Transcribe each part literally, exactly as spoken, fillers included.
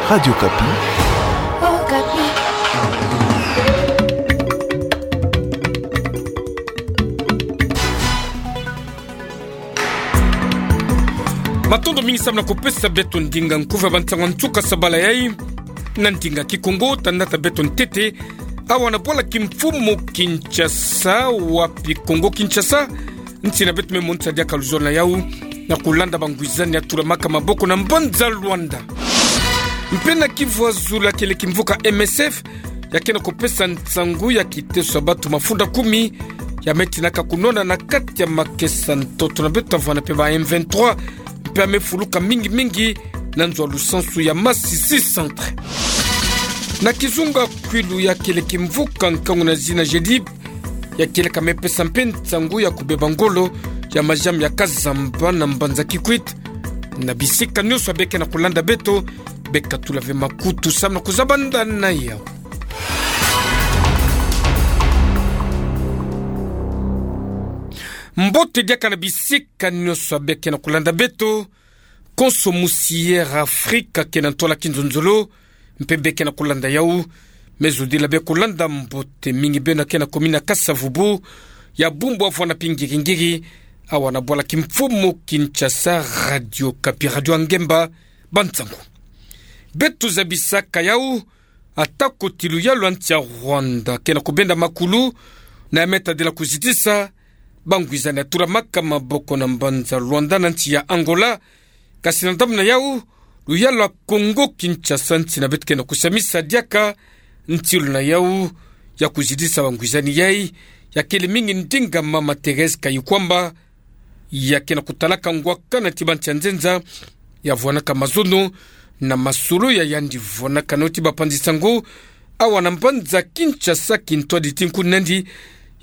Radio Okapi. Matondo mingi samu na kupesa beto ndinga nkufi ya bansango ya nsuka sabala yai na ndinga Kikongo. Tata beto ntete, awa na bwala kimfumu Kinshasa, wapi Kongo Kinshasa, nsi na beto me monisa diaka luzolo na yau na kulanda bangwizani ya tulamaka maboko na mbanza Luanda. Mpe na Kivu ya Zulu, ya kele kimvuka M S F, ya ke na kupesa nsangu ya kiteso ya bantu mafunda kumi ya me tinaka kunwana na kati ya makesa ntoto na beto, avwanda mpe ba M vingt-trois, mpe ya me fuluka mingi mingi na nzo ya lusansu ya Masisi Centre. Na kizunga kwilu, ya kele kimvuka nkangu na zina G D I B, ya kieleka me pesa mpe nsangu ya kubeba ngolo ya maziamu ya kazamba na mbanza Kikwit. Na bisika nyonso ya be ke na kulanda beto, be katula ve makutu samu na kuzabanda na yau. Mbote diaka na bisika nyonso ya be ke na kulanda beto. Konso musi Air Afrique ke na ntwala kinzonzolo, mpe be ke na kulanda yau, me zodila be kulanda mbote mingi beno ke na commune ya Kasa-Vubu, ya Bumbu, avwanda mpe Ngiri-Ngiri, awa na bwala kimfumu Kinshasa. Radio Okapi, radio ya ngemba, bansangu. Beto zabisaka yau, ata kô ti luyalu ya nsi ya Rwanda ke na kubenda makulu na ya me tadila kuzitisa bangwizani ya tulamaka maboko na mbanza Luanda na nsi ya Angola. Kasi na ndambu na yau, luyalu ya Kongo Kinshasa, nsi na beto ke na kusamisa diaka ntilu na yau ya kuzitisa bangwizani yai, ya kele mingi ndinga mama Thérèse Kayikwamba, ya ke na kutalaka ngwakana ti bansi ya nzenza, ya vwanaka mazono na masolo ya yandi vwanaka na yo ti bapanzi nsangu awa na mbanza Kinshasa, kintwadi ti nkundi na yandi,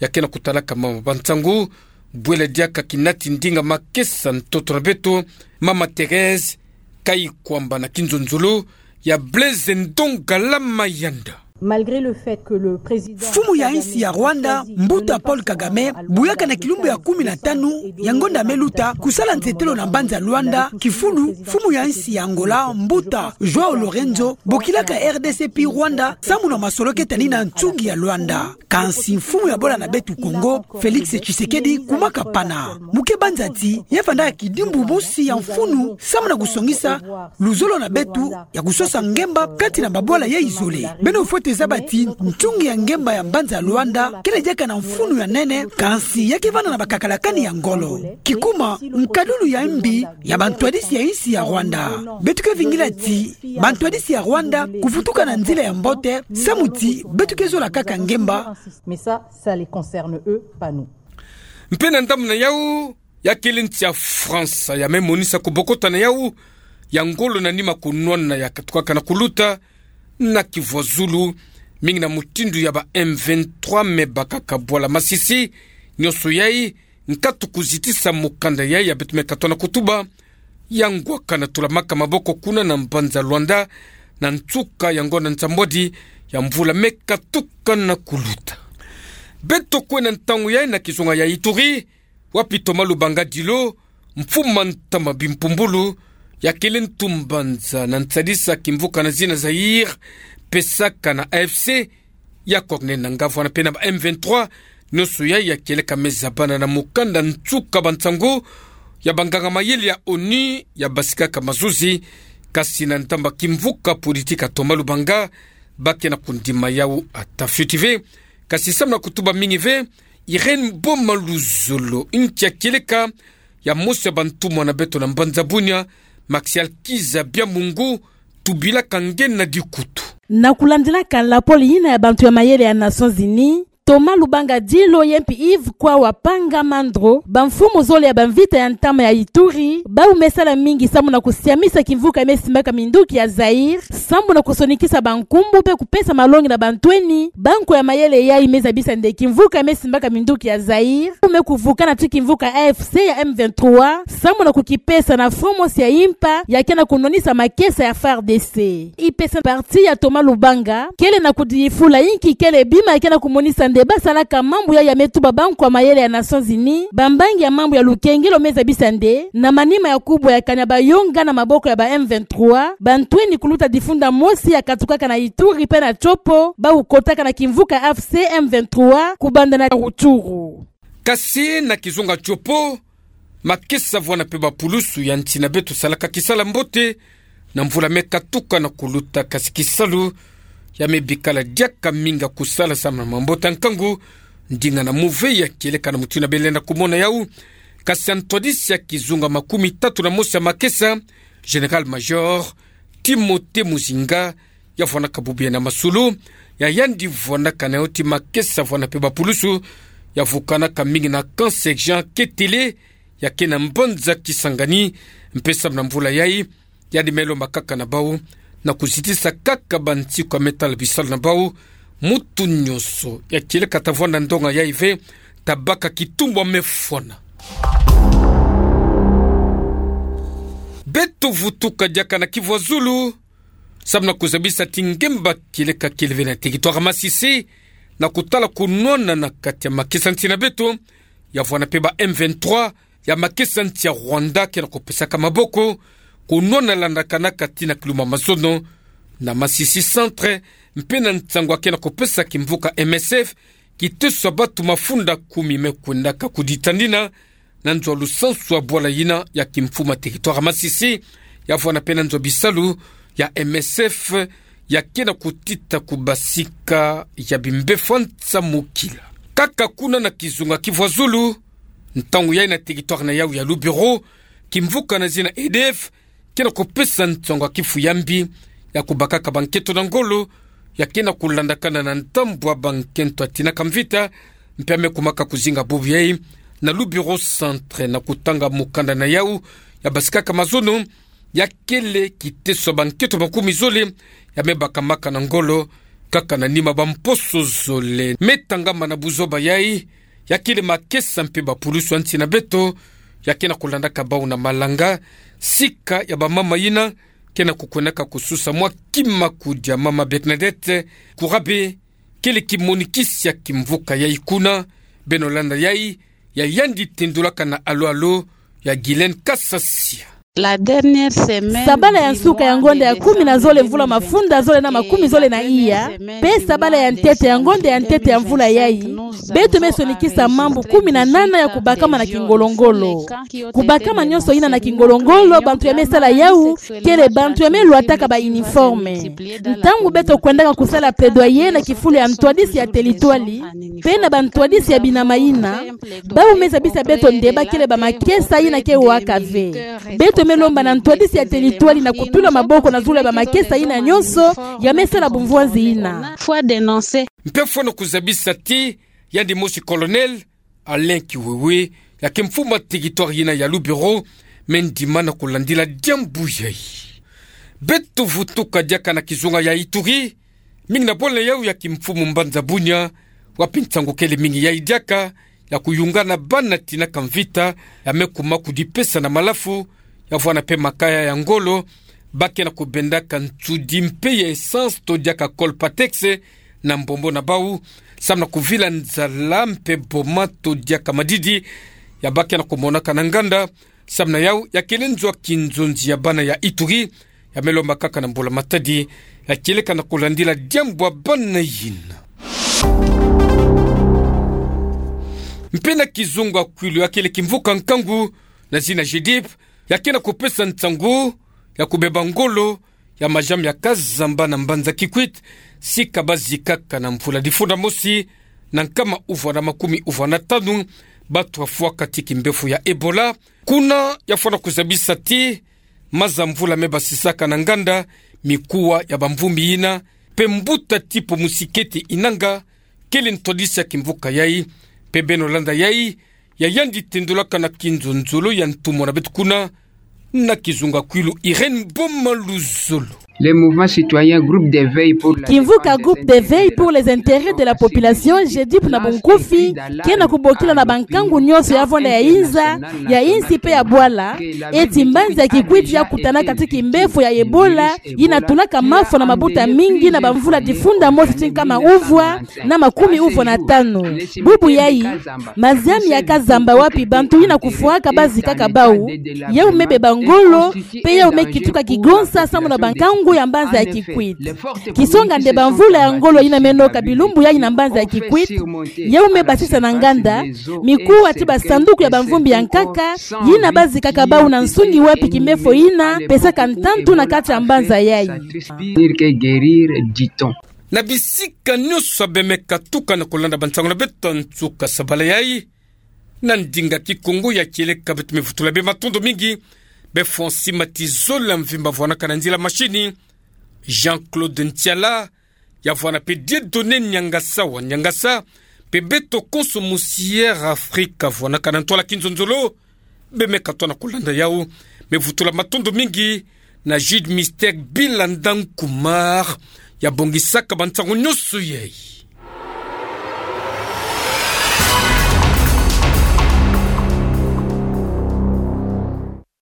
ya ke na kutalaka mama bansangu bwela diaka kinati ndinga makesa ntoto na beto, mama Thérèse Kayikwamba na kinzonzolo ya Blaise Ndongala Mayanda. Malgré le fait que le président Mfumu ya insi ya Rwanda, mbuta Paul Kagame, buyaka na kilumbu ya kumi na tanu ya ngonda me luta, kusala nsetelo na mbanza Luanda, kifulu mfumu ya insi ya Angola, mbuta João Lourenço, bokilaka R D C pi Rwanda, samu na masolo keta ni na nsungi ya Luanda. Kansi mfumu ya bola na beto Kongo, Félix Tshisekedi, kumaka pana. Mu ke banza ti, ye vandaka kidimbu mosi ya mfunu, samu na kusongisa luzolo na beto ya kusosa ngemba kati na babwala yai zole. Beno fwete zaba ti nsungi ya ngemba ya mbanza Luanda kele diaka na mfunu ya nene, kansi ya ke vanda na bakakalakani ya ngolo. Kikuma, nkadulu ya mbi ya bantwadisi ya insi ya Rwanda. Beto ke vingila ti bantwadisi ya Rwanda kuvutuka na nzila ya mbote, samu ti beto ke zola kaka ngemba. Mais ça, ça les concerne eux, pas nous. Mpe na ndambu na yau, ya kele nsi ya France ya me monisa kubokota na yau ya ngolo na nima kunwana ya katukaka na kuluta na Kivu ya Zulu, mingi na mutindu ya ba M vingt-trois me bakaka bwala Masisi. Nyonso yai, nkatu kuzitisa mukanda yai ya beto me katwa na kutuba, ya ngwakana tulamaka maboko kuna na mbanza Luanda, na nsuka ya ngonda nsambwadi ya mvula me katuka na kuluta. Beto kwe na ntangu yai na kizunga ya Ituri, wapi Thomas Lubanga Dilo, mfumu a ntama bimpumbulu, ya kele ntu mbanza na nsadisa kimvuka na zina Zaïre, pesaka na A F C, ya coordonner na ngavana mpe na ba M vingt-trois, nyonso yai ya kieleka me zabana na mukanda nsuka bansangu ya banganga mayele ya ONU ya basikaka mazuzi, kasi na ntama kimvuka politique ya Thomas Lubanga, ba ke na kundima yau ata fioti ve. Kasi samu na kutuba mingi ve, Irène Boma Luzolo, nki ya kieleka ya mosi ya bantumwa na beto na mbanza Bunia, Maxial Kizza Byamungu, tubilaka nge na dikutu. Na kulandilaka lapolo yina ya bantu ya mayele ya Nations Unies, Thomas Lubanga Dilo ye mpe Yves Kwawa Panga Mandro, bamfumu zole ya bamvita ya ntama ya Ituri, bau me sala mingi samu na kusiamisa kimvuka ya me simbaka minduki ya Zaïre, samu na kusonikisa bankumbu mpe kupesa malongi na bantweni, banko ya mayele yai me zabisa nde kimvuka ya me simbaka minduki ya Zaïre me kuvukana ti kimvuka A F C ya M vingt-trois, samu na kukipesa na front mosi ya impa ya ke na kunwanisa makesa ya F A R D C. I P C, parti ya Thomas Lubanga, kele na kudifula inki kele bima ya ke na kumonisa Nde basalaka mambu yayi ya me tuba bankwa mayele ya Nations Unies, bambangi ya mambu ya lukengelo me zabisa nde, na manima ya kubwakana bayonga na maboko ya ba M vingt-trois, bantweni kuluta difunda mosi ya katukaka na Ituri pe na Tshopo, bawu kotaka na kimvuka A F C M vingt-trois, kubanda na Rutshuru. Kasi na kizunga Tshopo, makesa vwanda mpe bapulusu ya nsi na beto salaka kisala mbote, na mvula me katuka na kuluta, kasi kisalu ya me bikala diaka mingi ya kusala samu na mambote ya nkangu, ndinga na muve ya kieleka na mutindu ya bele na kumona yau, kasi ya ntwadisi ya kizunga makumi tatu na mosi ya makesa, Général-Major Timothée Muzinga, ya vwandaka bubu yayi na masolo, ya yandi vwandaka na yo ti makesa vwanda mpe bapulusu, ya vukanaka mingi na camp Sergent Ketele, ya ke na mbanza Kisangani, mpe samu na mvula yayi, yandi me lomba kaka na bau, na kuzitisa kaka bansiku ya me tala bisalu na bau, mutu nyonso ya kieleka ta vwanda ndonga yayi ve, ta baka kitumbu ya me fwana. Beto vutuka diaka na Kivu ya Zulu, samu na kuzabisa ti ngemba kieleka kele ve na territoire ya Masisi, na kutala kunwana na kati ya makesa nsi na beto, ya vwanda mpe ba M vingt-trois, ya makesa nsi ya Rwanda ke na kupesaka maboko, kunwana landakanaka tii na kilumbu ya mazono, na Masisi Centre, mpe na nsangu ya ke na kupesa kimvuka M S F, kiteso ya batu mafunda kumi me kwendaka kudita ndina, na nzo ya lusansu ya bwala yina ya kimfumu ya territoire ya Masisi, ya vwanda mpe na nzo ya bisalu ya M S F, ya ke na kutita ku basika ya bimbevo nsamukila. Kaka kuna na kizunga Kivu ya Zulu, ntangu yayi na territoire na yau ya Lubero, kimvuka na zina E D F, ke na kupesa nsangu ya kifu ya mbi, ya kubakaka bankento na ngolo, ya ke na kulandakana na ntambwa bankento ya tinaka mvita, mpe ya me kumaka kuzinga bubu yayi, na Lubero Centre na kutanga mukanda na yau, ya basikaka mazono, ya kele kiteso ya bankento makumi zole, ya me bakamaka na ngolo, kaka na nima bamposo zole. Me tangama na buzoba yayi, ya kele makesa mpe bapulusu ya nsi na beto, ya ke na kulandaka bau na malanga, sika ya bamama yina, ke na kukwendaka kususa mwa kima kudia mama Bernadette Kurabe, kele kimonikisi ya kimvuka yayi kuna, beno landa yayi, ya yandi tendulaka na alo-alo, ya Guylaine Kasasia. Sabala ya nsuka ya ngonda ya kumi na zole mvula mafunda zole na makumi zole na iya, mpe sabala ya ntete ya ngonda ya ntete ya mvula yayi, beto me sonikisa mambu kumi na nana ya kubakama na kingolo-ngolo. Kubakama nyonso yina na kingolo-ngolo, bantu ya me sala yau, kele bantu ya me lwataka ba uniforme. Ntangu beto kwendaka kusala plaidoyer na kifulu ya ntwadisi ya teritwali, mpe na bantwadisi ya binama yina, bau me zabisa beto nde ba kele bamakesa yina ke waka ve. Beto me lomba na ntwadisi ya teritwali na kutula maboko na zulu ya bamakesa yina nyonso, ya me sala bumvwanzi yina. Mpe fwana kuzabisa ti, yandi mosi Colonel Alain Kiwewe, ya ke mfumu ya territoire yina ya Lubero, me ndima na kulandila diambu yayi. Beto vutuka diaka na kizunga ya Ituri, mingi na bwala yau ya kimfumu mbanza Bunia, wapi nsangu kele mingi yayi diaka, ya kuyungana bana tinaka mvita, ya me kuma kudipesa na malafu, ya vwanda mpe makaya ya ngolo, ba ke na kubendaka nsudi mpe ya essence to diaka Colpatex, na mbombo na bau, samu na kuvila nzala mpe boma to diaka madidi, ya ba ke na kumonaka na nganda, samu na yau ya kele nzo ya kinzonzi ya bana ya Ituri, ya me lomba kaka na mbula-matadi, ya kieleka na kulandila diambu ya bana yina. Mpe na kizunga kwilu ya kele kimvuka nkangu, na zina GDIP, ya ke na kupesa nsangu, ya kubeba ngolo, ya majambi ya kazamba na mbanza Kikwit, sika ba zikaka na mvula difunda mosi, na nkama uvwa na makumi uvwa na tanu, batu wafwaka ti kimbevo ya Ebola. Kuna ya fwana kuzabisa ti, maza mvula me basisaka na nganda, mikuwa ya bamvumbi yina, mpe mbuta Tipo Musikete Inanga, kele ntwadisi ya kimvuka yayi, mpe beno landa yayi, ya yandi tendulaka na kinzonzolo ya ntumwa na beto kuna, na kizunga kwilu Irène Boma Luzolo. Le mouvement citoyen groupe d'éveil pour la kimvuka défense des groupe intérêts de la population, GEDIP na bunkufi, ke na kubokila na bankangu nyonso ya vwanda ya inza, ya insi pe ya bwala, eti mbanza ya Kikwit ya kutana kati kimbefo ya Ebola, yi na tulaka mafo na mabuta mingi na bamvula difunda mosi ti nkama uvwa na makumi uvwa na tanu. Bubu yayi, maziami ya kazamba wapi bantu yi na kufwaka bazikaka bau, yau me beba ngolo, pe yau me kituka kigonsa samu na bankangu ya mbanza ya Kikwit. Kisonga nde bamvula ya ngolo yi na meno ka bilumbu yayi na mbanza ya Kikwit, yau me basisa na nganda, mikuwa ti basanduku ya bamvumbi ya nkaka, yi na bazikaka bau na nsungi wapi kimbefo yi na pesaka ntantu na kati ya mbanza yayi. Dire que guérir, dit-on. Na bisika nyonso beme katuka na kolanda bansangu na beto nsuka sabala yayi, na ndinga Kikongo ya kieleka beto me vutula bê matondo mingi, bê Francis Matizola Mvimba vwanaka na nzila mashini, Jean-Claude Ntiala, ya vwana pe Dieudonné Niangasa wa Niangasa, pe beto konso musi Air Afrika vwanaka na ntwala kinzonzolo, beme katuka na kolanda yau, me vutula matondo mingi na Jude Mister Bilanda Nkumar, ya bongisaka bansangu nyonso yayi.